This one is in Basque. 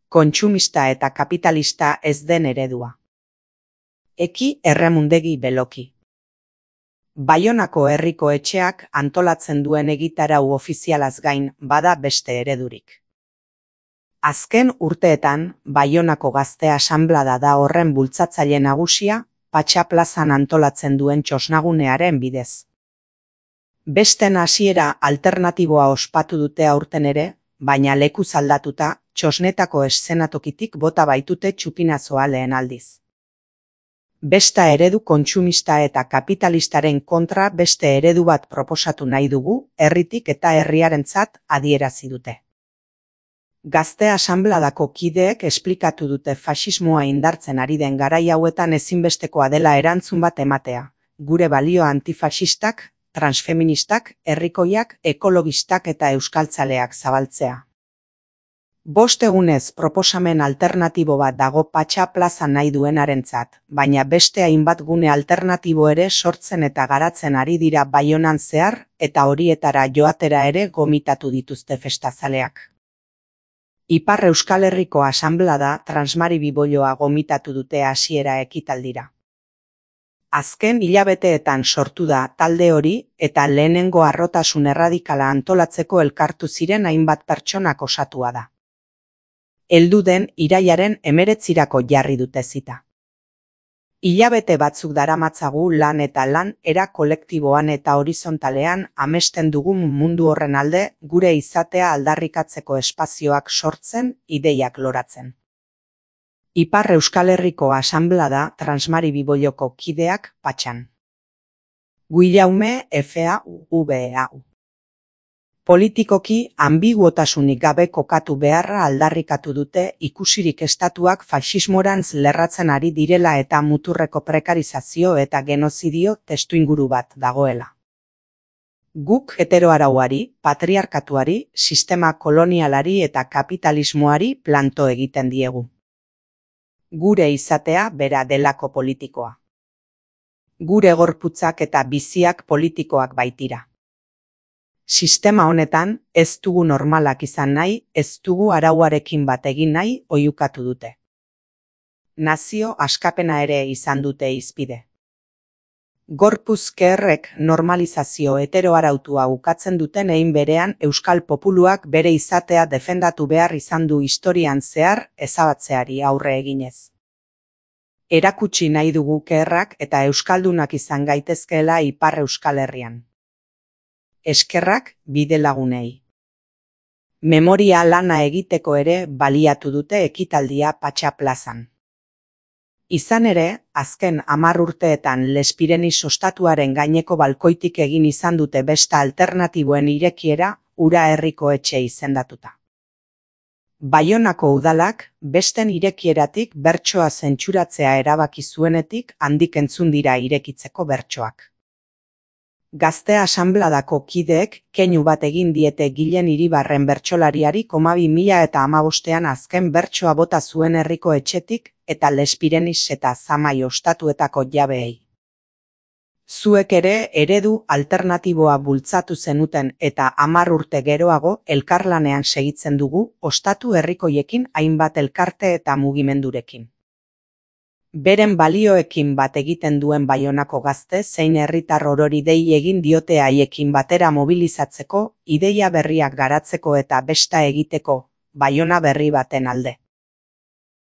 Kontsumista eta kapitalista ez den eredua. Eki Erremundegi Beloki. Baionako herriko etxeak antolatzen duen egitarau ofizialaz gain bada beste eredurik. Azken urteetan, Baionako Gazte Asanblada da horren bultzatzaile nagusia, Patxa plazan antolatzen duen txosnagunearen bidez. Besten hasiera alternatiboa ospatu dute aurten ere, baina lekuz aldatuta, txosnetako eszenatokitik bota baitute txupinazoa lehen aldiz. Besta eredu kontsumista eta kapitalistaren kontra beste eredu bat proposatu nahi dugu, herritik eta herriarentzat adierazi dute. Gazte Asanbladako kideek esplikatu dute faxismoa indartzen ari den garai hauetan ezinbestekoa dela erantzun bat ematea, gure balio antifaxistak, transfeministak, herrikoiak, ekologistak eta euskaltzaleak zabaltzea. 5 egunez proposamen alternatibo bat dago Patxa plaza nahi duenarentzat, baina beste hainbat gune alternatibo ere sortzen eta garatzen ari dira Baionan zehar eta horietara joatera ere gomitatu dituzte festazaleak. Ipar Euskal Herriko Asanblada Transmari Bibolloa gomitatu dute hasiera ekitaldira. Azken hilabeteetan sortu da talde hori eta lehenengo harrotasun erradikala antolatzeko elkartu ziren hainbat pertsonak osatua da. Heldu den irailaren 19 jarri dute zita. Hilabete batzuk daramatzagu lan eta lan era kolektiboan eta horizontalean amesten dugun mundu horren alde gure izatea aldarrikatzeko espazioak sortzen, ideiak loratzen. Ipar Euskal Herriko Asanblada Transmari Bibolloko kideak Patxan. Guillaume FAUVAU. Politikoki ambiguotasunik gabe kokatu beharra aldarrikatu dute ikusirik estatuak faxismorantz lerratzen ari direla eta muturreko prekarizazio eta genozidio testuinguru bat dagoela. Guk heteroarauari, patriarkatuari, sistema kolonialari eta kapitalismoari planto egiten diegu. Gure izatea bera delako politikoa. Gure gorputzak eta biziak politikoak baitira. Sistema honetan, ez dugu normalak izan nahi, ez dugu arauarekin bat egin nahi oihukatu dute. Nazio askapena ere izan dute hizpide. Gorpuzkerrek normalizazio heteroarautua ukatzen duten hein berean euskal populuak bere izatea defendatu behar izan du historian zehar ezabatzeari aurre eginez. Erakutsi nahi dugu kerrak eta euskaldunak izan gaitezkeela Ipar Euskal Herrian. Eskerrak bide lagunei. Memoria lana egiteko ere baliatu dute ekitaldia Patxa plazan. Izan ere, azken 10 urteetan Lespireniz ostatuaren gaineko balkoitik egin izan dute besta alternatiboen irekiera Ura herriko etxe izendatuta. Baionako udalak besten irekieratik bertsoa zentsuratzea erabaki zuenetik handik entzun dira irekitzeko bertsoak. Gazte Asanbladako kideek keinu bat egin diete Gilen Iribarren bertsolariari 2015ean azken bertsoa bota zuen herriko etxetik eta Lespireniz eta Zamai ostatuetako jabeei. Zuek ere eredu alternatiboa bultzatu zenuten eta 10 urte geroago elkarlanean segitzen dugu ostatu herrikoiekin hainbat elkarte eta mugimendurekin. Beren balioekin bat egiten duen Baionako gazte zein herritar orori dei egin diote haiekin batera mobilizatzeko, ideia berriak garatzeko eta besta egiteko, Baiona berri baten alde.